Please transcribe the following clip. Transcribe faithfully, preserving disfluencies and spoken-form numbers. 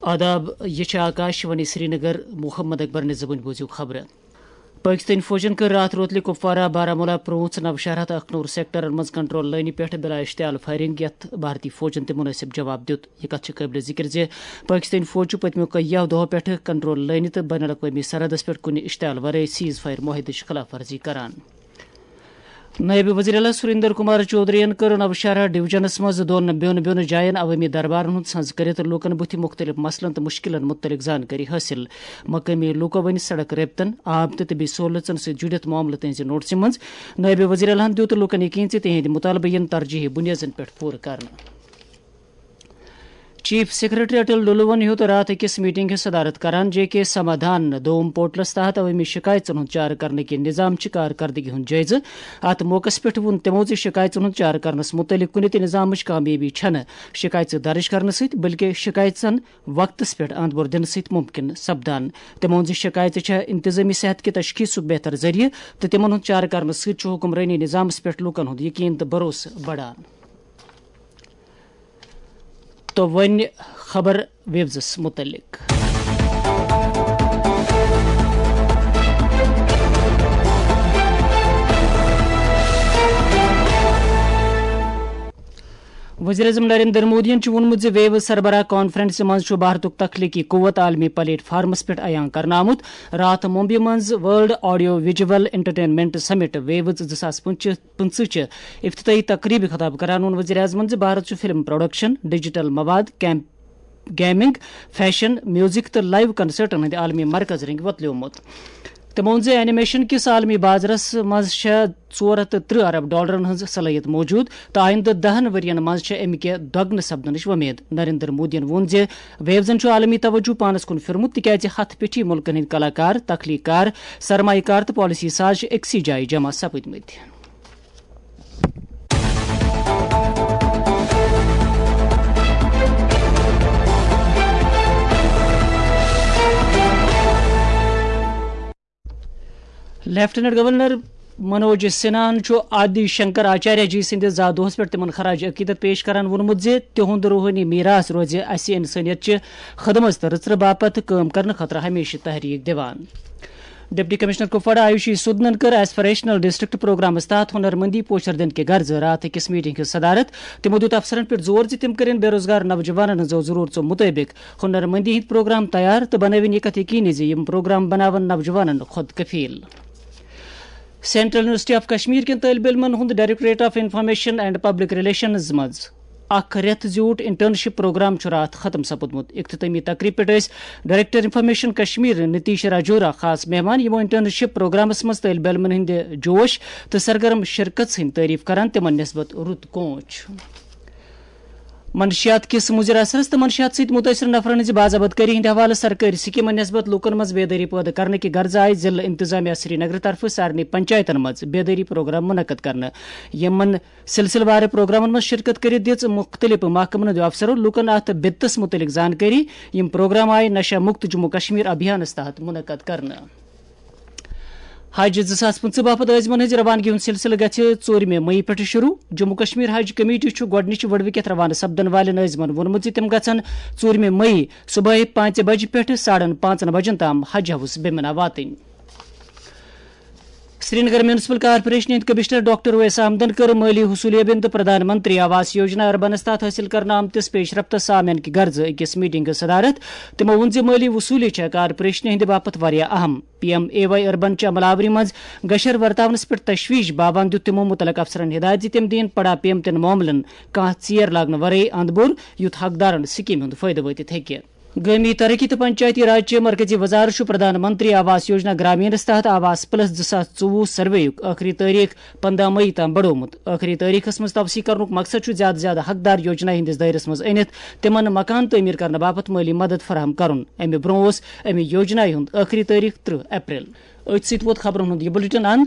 آداب، یہ چھِ آکاش وانی سرینگر۔ محمد اکبر نِظامٕنۍ بوٗزِو خبرٕ۔ پٲکِستٲنۍ فوجَن کٔر راتھ روتلہِ کپوارہ، بارہمولہ، پرٛوٗنٛژ، نوشہرہ تہٕ اکھنوٗر سیکٹرن منٛز کنٹرول لٲنہِ پٮ۪ٹھ بلا اشتعال فائرنگ، یتھ بھارتی فوجَن تہِ مناسب جواب دیُت۔ یہ کتھ چھِ قٲبلِ ذکر زِ پٲکِستٲنۍ فوج چھُ پٔتمیو کینٛہو دۄہو پٮ۪ٹھٕ کنٹرول لٲنہِ تہٕ بین الاقوٲمی سرحدس پٮ۪ٹھ کُنہِ اشتعال ورٲے سیز فائر معاہدٕچ خلاف ورزی کران۔ نٲیِب وزیر اعلیٰ سریندر کمار چودھرین کٔر نوشہرہ ڈویژنس منٛز دۄن بیوٚن بیوٚن جاین عوٲمی دربارن ہُنٛد سنز کٔرِتھ لوٗکن بُتھِ مُختٔلِف مسلن تہٕ مُشکِلن مُتعلق زانکٲری حٲصِل۔ مقٲمی لوٗکو ؤنۍ سڑک رٲبطن، آب تہٕ طبی سہوٗلژن سۭتۍ جُڑِتھ معاملہٕ تہنٛزِ نوٹسہِ منٛز۔ نٲیِب وزیر اعلیٰ ہن دیُت لوٗکن یقین زِ تِہنٛدۍ مُطالبہٕ یِن ترجیحی بُنیادن پٮ۪ٹھ پوٗرٕ کرنہٕ۔ چیف سیکرٹری اٹل ڈلوَن ہیوٚت راتھ أکِس میٹنگ ہٕنٛز صدارت کران جے کے سمادھان دوم پورٹلس تحت عوٲمی شکایژن ہُنٛد چارٕ کرنہٕ کہِ نظام چہِ کارکردگی ہُنٛد جٲیزٕ۔ اتھ موقعس پٮ۪ٹھ ووٚن تِمو زِ شکایژن ہُنٛد چارٕ کرنس مُتعلق کُنہِ تہِ نظامٕچ کامیٲبی چھنہٕ شکایژٕ درٕج کرنہٕ سۭتۍ، بلکہِ شکایژن وقتس پٮ۪ٹھ اند بور دِنہٕ سۭتۍ مُمکِن سپدان۔ تِمو ووٚن زِ شکایژٕ چھےٚ انتظٲمی صحت کہِ تشخیصُک بہتر ذٔریعہٕ تہٕ تِمن ہُنٛد چارٕ کرنہٕ سۭتۍ چھُ حکمرٲنی نظامس پٮ۪ٹھ لوٗکن ہُنٛد یقین تہٕ بھروسہٕ بڑان۔ تو وۄنۍ خبر ویوزس متعلق۔ وزیر اعظم نریندر مودیَن چھُ ووٚنمُت زِ ویوز سربراہ کانفرنسہِ منٛز چھُ بھارتُک تخلیقی قوت عالمی پلیٹ فارمس پٮ۪ٹھ عیاں کرنہٕ آمُت۔ راتھ ممبئی منٛز ورلڈ آڈیو ویجول انٹرٹینمنٹ سمٹ ویوز زٕ ساس پٕنٛژٕہ پٕنٛژٕہ چہِ افتتاحی تقریبہِ خطاب کران ووٚن وزیر اعظمن زِ بھارت چھُ فلم پروڈکشن، ڈیجیٹل مواد، کیمپ، گیمنگ، فیشن، میوزک تہٕ لائیو کنسرٹن ہٕنٛدِ عالمی مرکز رٔنگۍ وۄتلیومُت۔ تٔمۍ ووٚن زِ اینیمیشن کِس عالمی بازرس منٛز چھےٚ ژور ہتھ تہٕ ترٕہ ارب ڈالرن ہٕنٛز صلٲحیت موجود تہٕ آیندٕ دہن ؤرین منٛز چھےٚ امہِ کہِ دۄگنہٕ سپدنٕچ وۄمید۔ نریندر مودیَن ووٚن زِ ویوزن چھُ عالمی توجہ پانس کُن پھیورمُت، تِکیازِ ہتھ پیٹھی مُلکن ہٕنٛدۍ کلاکار، تخلیق کار، سرمایہ کار تہٕ پالیسی ساز چھِ أکسٕے جایہِ جمع سپٕدمٕتۍ۔ لیفٹیننٹ گورنر منوج سنہاہن چھُ آدی شنکر آچاریہ جی سٕنٛدِس زا دۄہس پٮ۪ٹھ تِمن خراج عقیدت پیش کران ووٚنمُت زِ تِہُنٛد روحٲنی میراث روزِ اسہِ انسٲنیت چہِ خدمژ تہٕ رٕژرٕ باپتھ کٲم کرنہٕ خٲطرٕ ہمیشہٕ تحریک دِوان۔ ڈپٹی کمشنر کپواڑہ آیوشی سودنن کٔر ایسپریشنل ڈسٹرکٹ پروگرامس تحت ہنرمندی پوچھر دِنہٕ کہِ غرضہٕ راتھ أکِس میٹنگ ہٕنٛز صدارت۔ تِمو دیُت افسرن پٮ۪ٹھ زور زِ تِم کٔرِن بے روزگار نوجوانن ہٕنٛزو ضروٗرژو مُطٲبِق ہنرمندی ہٕنٛدۍ پروگرام تیار تہٕ بنٲوِن یہِ کتھ یقینی زِ یِم پروگرام بناون نوجوانن خۄد کفیل۔ سینٹرل یونیورسٹی آف کشمیر کٮ۪ن طٲلبہِ علمن ہُنٛد directorate of information and public relations منٛز اکھ رٮ۪تھ زیوٗٹھ انٹرنشپ پروگرام چھُ راتھ ختم سپُدمُت۔ اختتٲمی تقریب پٮ۪ٹھ ٲسۍ ڈائریکٹر انفارمیشن کشمیر نتیش راجورا خاص مہمان، یِمو انٹرنشپ پروگرامس منٛز طٲلبہِ علمن ہٕنٛدِ جوش تہٕ سرگرم شرکت ہٕنٛدۍ تعریف کران تِمن نسبت رُت کونچ۔ منشیات کِس مُضِر اثرس تہٕ منشیات سۭتۍ مُتٲثِر نفرن ہٕنٛزِ باضابطگٲری ہٕنٛدِ حوالہٕ سرکٲرۍ سکیٖمن نسبت لوٗکن منٛز بیدٲری پٲدٕ کرنہٕ کہِ غرضہٕ آیہِ ضلعہٕ انتظامیہ سرینگر طرفہٕ سارنٕے پنچایتن منٛز بیدٲری پروگرام منعقد کرنہٕ۔ یِمن سلسلہٕ وار پروگرامن منٛز شرکت کٔرِتھ دِژ مُختٔلِف محکمن ہٕنٛدیو افسرو لوٗکن اتھ بِدتس مُتعلق زانکٲری۔ یِم پروگرام آیہِ نشہ مُکت جموں کشمیر ابھیانس تحت منعقد کرنہٕ۔ حج زٕ ساس پٕنٛژٕہ باپتھ عٲزمن ہٕنٛزِ روانگی ہُنٛد سلسلہٕ گژھِ ژوٗرمہِ مئی پٮ۪ٹھٕ شروع۔ جموں کشمیر حج کمیٹی چھُ گۄڈٕنِچہِ وٕڈوٕکٮ۪تھ روانہٕ سپدن والٮ۪ن عٲزمن ووٚنمُت زِ تِم گژھن ژوٗرمہِ مئی صبحٲے پانٛژِ بجہِ پٮ۪ٹھٕ ساڑن پانٛژن بجن تام حج ہاوس بیمنہ واتٕنۍ۔ سرینگر میونسپل کارپوریشن ہٕنٛدۍ کمشنر ڈاکٹر اویس احمدن کٔر مٲلی حصولیابین تہٕ پردھان منتری آواس یوجنا اربنس تحت حٲصِل کرنہٕ آمتِس پیش رفتس سامعن کہِ غرضہٕ أکِس میٹنگ ہٕنٛز صدارت۔ تِمو ووٚن زِ مٲلی وصوٗلی چھےٚ کارپوریشنہِ ہٕنٛدِ باپتھ واریاہ اہم۔ P M A Y urban چہِ عمل آوری منٛز گشر ورتاونس پٮ۪ٹھ تشویش باوان دیُت تِمو مُتعلق افسرن ہدایت زِ تِم دِیِن پڑا پیمتٮ۪ن معاملن کانٛہہ ژیر لاگنہٕ ورٲے اند بور، یُتھ حقدارن سکیمہِ ہُنٛد فٲیدٕ وٲتِتھ ہیٚکہِ۔ گٲمی ترقی تہٕ پنچایتی راج چہِ مرکزی وزارت چھُ پردھان منتری آواس یوجنا گرامینس تحت آواس پلس زٕ ساس ژوٚوُہ سروے یُک ٲخری تٲریخ پنٛداہ مئی تام بڑومُت۔ ٲخری تٲریخس منٛز توسیع کرنُک مقصد چھُ زیادٕ زیادٕ حقدار یوجنا ہٕنٛدِس دٲیرس منٛز أنِتھ تِمن مکان تعمیٖر کرنہٕ باپتھ مٲلی مدد فراہم کرُن۔ امہِ برٛونٛہہ اوس امہِ یوجنایہِ ہُنٛد ٲخری تٲریخ ترٕہ اپریل۔ أتھۍ سۭتۍ ووت خبرن ہُنٛد یہِ بلیٹن اند۔